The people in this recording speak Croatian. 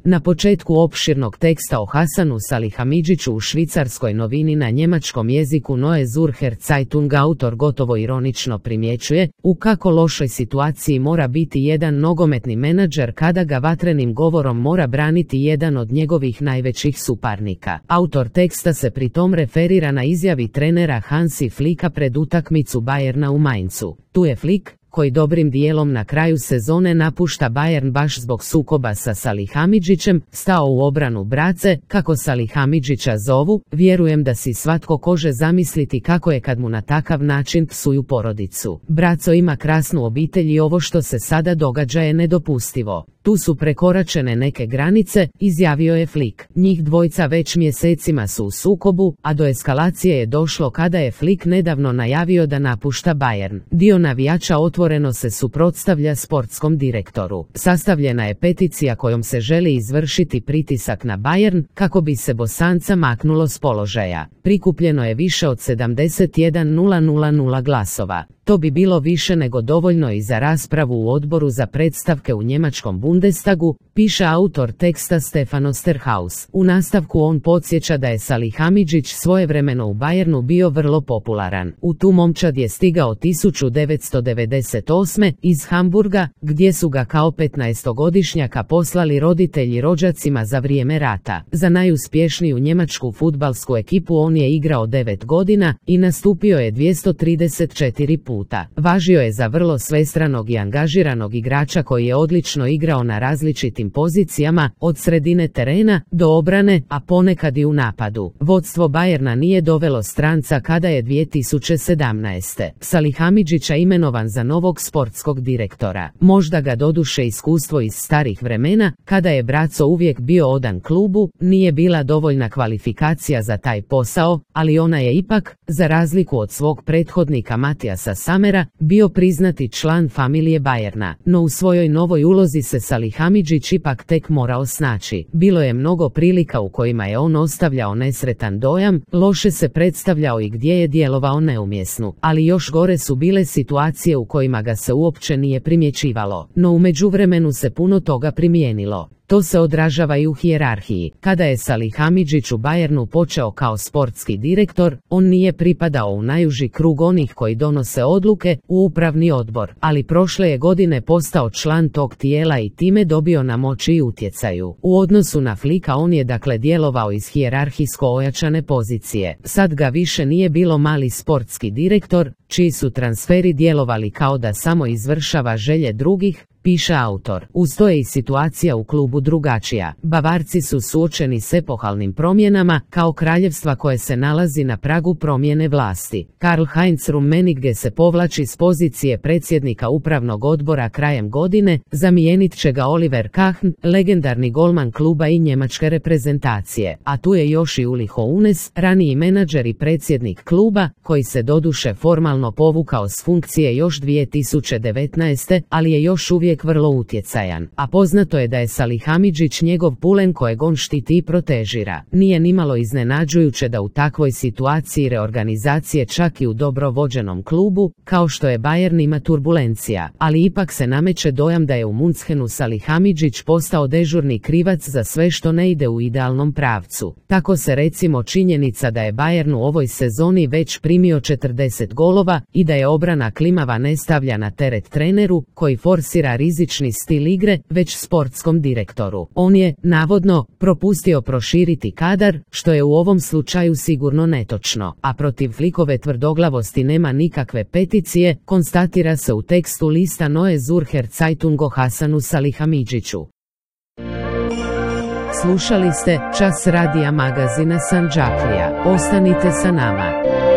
Na početku opširnog teksta o Hasanu Salihamiđiću u švicarskoj novini na njemačkom jeziku Neue Zürcher Zeitung autor gotovo ironično primjećuje u kako lošoj situaciji mora biti jedan nogometni menadžer kada ga vatrenim govorom mora braniti jedan od njegovih najvećih suparnika. Autor teksta se pritom referira na izjavi trenera Hansi Flicka pred utakmicu Bayerna u Mainzu. Tu je Flick, koji dobrim dijelom na kraju sezone napušta Bayern baš zbog sukoba sa Salihamiđićem, stao u obranu brace, kako Salihamiđića zovu. Vjerujem da si svatko kože zamisliti kako je kad mu na takav način psuju porodicu. Braco ima krasnu obitelj i ovo što se sada događa je nedopustivo. Tu su prekoračene neke granice, izjavio je Flick. Njih dvojca već mjesecima su u sukobu, a do eskalacije je došlo kada je Flick nedavno najavio da napušta Bayern. Dio navijača otvoreno se suprotstavlja sportskom direktoru. Sastavljena je peticija kojom se želi izvršiti pritisak na Bayern kako bi se Bosanca maknulo s položaja. Prikupljeno je više od 71.000 glasova. To bi bilo više nego dovoljno i za raspravu u odboru za predstavke u njemačkom Bundestagu, piše autor teksta Stefan Osterhaus. U nastavku on podsjeća da je Salihamiđić svojevremeno u Bayernu bio vrlo popularan. U tu momčad je stigao 1998. iz Hamburga, gdje su ga kao 15-godišnjaka poslali roditelji rođacima za vrijeme rata. Za najuspješniju njemačku fudbalsku ekipu on je igrao 9 godina i nastupio je 234 puta. Važio je za vrlo svestranog i angažiranog igrača koji je odlično igrao na različitim pozicijama, od sredine terena do obrane, a ponekad i u napadu. Vodstvo Bayerna nije dovelo stranca kada je 2017. Salihamiđića imenovan za novog sportskog direktora. Možda ga doduše iskustvo iz starih vremena, kada je braco uvijek bio odan klubu, nije bila dovoljna kvalifikacija za taj posao, ali ona je ipak, za razliku od svog prethodnika Matijasa Samera, bio priznati član familije Bayerna. No u svojoj novoj ulozi se Salihamiđić ipak tek morao snaći. Bilo je mnogo prilika u kojima je on ostavljao nesretan dojam, loše se predstavljao i gdje je djelovao neumjesno. Ali još gore su bile situacije u kojima ga se uopće nije primjećivalo. No u međuvremenu se puno toga primijenilo. To se odražava i u hijerarhiji. Kada je Salihamiđić u Bayernu počeo kao sportski direktor, on nije pripadao u najuži krug onih koji donose odluke, u upravni odbor, ali prošle je godine postao član tog tijela i time dobio na moći i utjecaju. U odnosu na Flicka on je dakle djelovao iz hijerarhijsko ojačane pozicije. Sad ga više nije bilo mali sportski direktor, čiji su transferi djelovali kao da samo izvršava želje drugih, piše autor. Uz to je i situacija u klubu drugačija. Bavarci su suočeni s epohalnim promjenama, kao kraljevstva koje se nalazi na pragu promjene vlasti. Karl-Heinz Rummenigge se povlači s pozicije predsjednika upravnog odbora krajem godine, zamijenit će ga Oliver Kahn, legendarni golman kluba i njemačke reprezentacije. A tu je još i Uli Hoeneß, raniji menadžer i predsjednik kluba, koji se doduše formalno povukao s funkcije još 2019. ali je još uvijek vrlo utjecajan, a poznato je da je Salihamiđić njegov pulen kojeg on štiti i protežira. Nije nimalo iznenađujuće da u takvoj situaciji reorganizacije čak i u dobro vođenom klubu, kao što je Bayern, ima turbulencija, ali ipak se nameće dojam da je u Münchenu Salihamiđić postao dežurni krivac za sve što ne ide u idealnom pravcu. Tako se recimo činjenica da je Bayern u ovoj sezoni već primio 40 golova i da je obrana klimava ne stavlja na teret treneru, koji forsira rizični stil igre, već sportskom direktoru. On je, navodno, propustio proširiti kadar, što je u ovom slučaju sigurno netočno, a protiv Flickove tvrdoglavosti nema nikakve peticije, konstatira se u tekstu lista Neue Zürcher Zeitung o Hasanu Salihamiđiću. Slušali ste čas radija magazina Sandžaklija. Ostanite sa nama.